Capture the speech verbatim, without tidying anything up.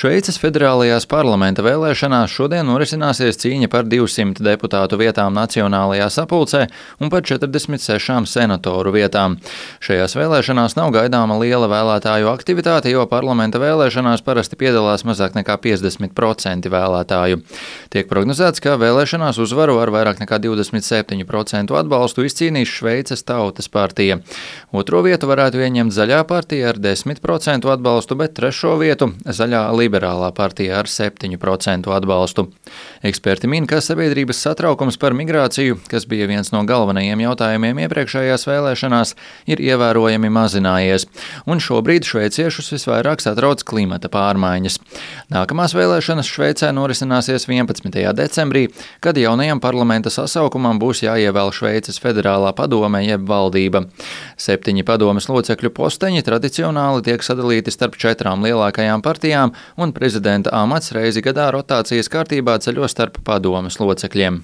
Šveices federālajās parlamenta vēlēšanās šodien norisināsies cīņa par divsimt deputātu vietām Nacionālajā sapulcē un par četrdesmit sešām senatoru vietām. Šajās vēlēšanās nav gaidāma liela vēlētāju aktivitāte, jo parlamenta vēlēšanās parasti piedalās mazāk nekā piecdesmit procenti vēlētāju. Tiek prognozēts, ka vēlēšanās uzvaru ar vairāk nekā divdesmit septiņu procentu atbalstu izcīnīs Šveices Tautas partija. Otro vietu varētu ieņemt Zaļā partija ar desmit procentu atbalstu, bet trešo vietu Zaļā Liberālā partija ar septiņu procentu atbalstu. Eksperti min, ka sabiedrības satraukums par migrāciju, kas bija viens no galvenajiem jautājumiem iepriekšējās vēlēšanās, ir ievērojami mazinājies, un šobrīd šveiciešus visvairāk satrauc klimata pārmaiņas. Nākamās vēlēšanas Šveicē norisināsies vienpadsmitajā decembrī, kad jaunajam parlamenta sasaukumam būs jāievēl Šveices federālā padome jeb valdība. Septiņi padomes locekļu posteņi tradicionāli tiek sadalīti starp četrām lielākajām partijām, un prezidenta amats reizi gadā rotācijas kārtībā ceļo starp padomes locekļiem.